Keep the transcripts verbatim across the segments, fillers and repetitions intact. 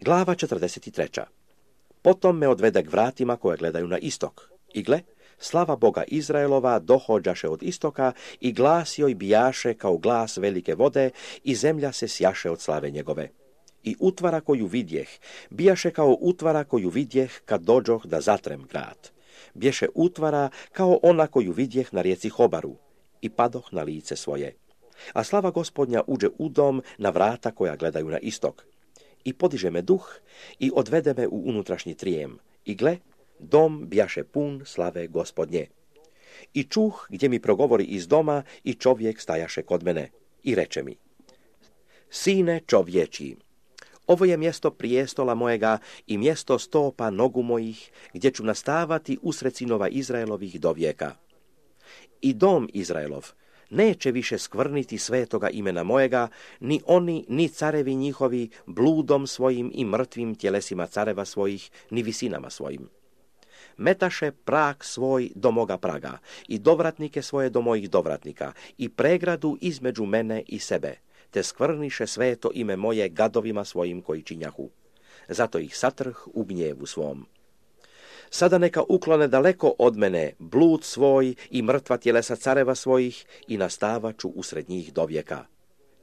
Glava četrdeset tri. Potom me odvede k vratima koje gledaju na istok. I gle, slava Boga Izraelova dohođaše od istoka i glas joj bijaše kao glas velike vode i zemlja se sjaše od slave njegove. I utvara koju vidjeh, bijaše kao utvara koju vidjeh kad dođoh da zatrem grad. Bješe utvara kao ona koju vidjeh na rijeci Hobaru i padoh na lice svoje. A slava Gospodnja uđe u dom na vrata koja gledaju na istok. I podiže me duh i odvede me u unutrašnji trijem. I gle, dom bjaše pun slave Gospodnje. I čuh gdje mi progovori iz doma i čovjek stajaše kod mene. I reče mi: Sine čovječi, ovo je mjesto prijestola mojega i mjesto stopa nogu mojih, gdje ću nastavati usred sinova Izraelovih do vijeka. I dom Izraelov neće više skvrniti svetoga imena mojega, ni oni, ni carevi njihovi, bludom svojim i mrtvim tjelesima careva svojih, ni visinama svojim. Metaše prag svoj do moga praga i dovratnike svoje do mojih dovratnika i pregradu između mene i sebe, te skvrniše sveto ime moje gadovima svojim koji činjahu. Zato ih satrh u gnjevu svom. Sada neka uklone daleko od mene blud svoj i mrtva tjelesa careva svojih i nastavaću usred njih do vijeka.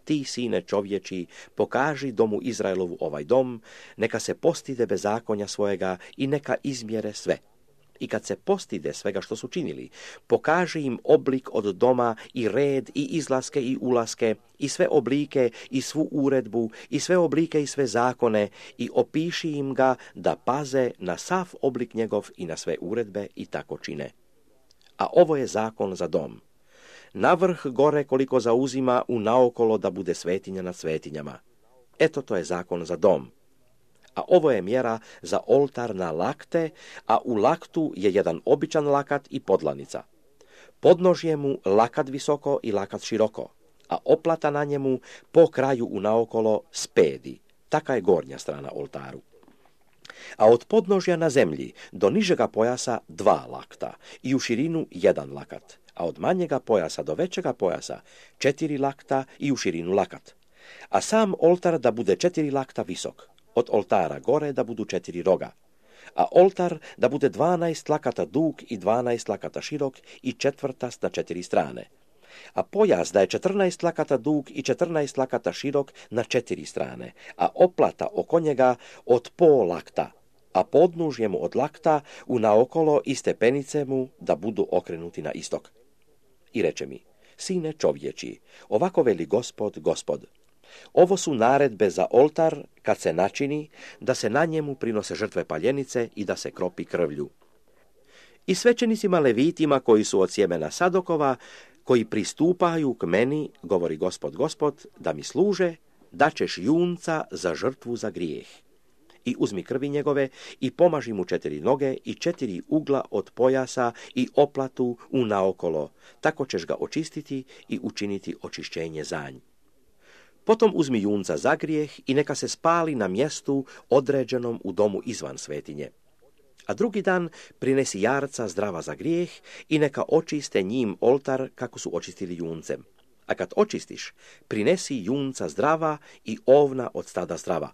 Ti, sine čovječi, pokaži domu Izraelovu ovaj dom, neka se postide bezakonja svojega i neka izmjere sve. I kad se postide svega što su činili, pokaži im oblik od doma i red i izlaske i ulaske i sve oblike i svu uredbu i sve oblike i sve zakone i opiši im ga da paze na sav oblik njegov i na sve uredbe i tako čine. A ovo je zakon za dom. Navrh gore koliko zauzima u naokolo da bude svetinja nad svetinjama. Eto, to je zakon za dom. A ovo je mjera za oltar na lakte, a u laktu je jedan običan lakat i podlanica. Podnožje mu lakat visoko i lakat široko, a oplata na njemu po kraju u naokolo spedi. Taka je gornja strana oltaru. A od podnožja na zemlji do nižega pojasa dva lakta i u širinu jedan lakat, a od manjega pojasa do većega pojasa četiri lakta i u širinu lakat. A sam oltar da bude četiri lakta visok. Od oltara gore da budu četiri roga, a oltar da bude dvanaest lakata dug i dvanaest lakata širok i četvrtast na četiri strane. A pojas da je četrnaest lakata dug i četrnaest lakata širok na četiri strane, a oplata oko njega od pol lakta, a podnužje mu od lakta u naokolo i stepenice mu da budu okrenuti na istok. I reče mi: Sine čovječi, ovako veli Gospod, Gospod. Ovo su naredbe za oltar kad se načini, da se na njemu prinose žrtve paljenice i da se kropi krvlju. I svećenicima levitima koji su od sjemena Sadokova, koji pristupaju k meni, govori Gospod, Gospod, da mi služe, daćeš junca za žrtvu za grijeh. I uzmi krvi njegove i pomaži mu četiri noge i četiri ugla od pojasa i oplatu u naokolo, tako ćeš ga očistiti i učiniti očišćenje za nj. Potom uzmi junca za grijeh i neka se spali na mjestu određenom u domu izvan svetinje. A drugi dan prinesi jarca zdrava za grijeh i neka očiste njim oltar kako su očistili juncem. A kad očistiš, prinesi junca zdrava i ovna od stada zdrava.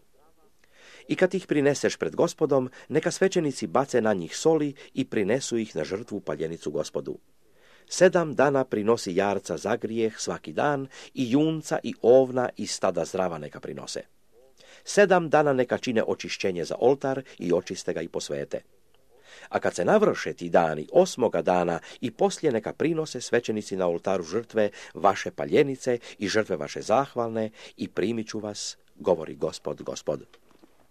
I kad ih prineseš pred Gospodom, neka svećenici bace na njih soli i prinesu ih na žrtvu paljenicu Gospodu. Sedam dana prinosi jarca za grijeh svaki dan i junca i ovna i stada zdrava neka prinose. Sedam dana neka čine očišćenje za oltar i očiste ga i posvete. A kad se navrše ti dani osmoga dana i poslije neka prinose svećenici na oltaru žrtve vaše paljenice i žrtve vaše zahvalne i primit ću vas, govori Gospod, Gospod.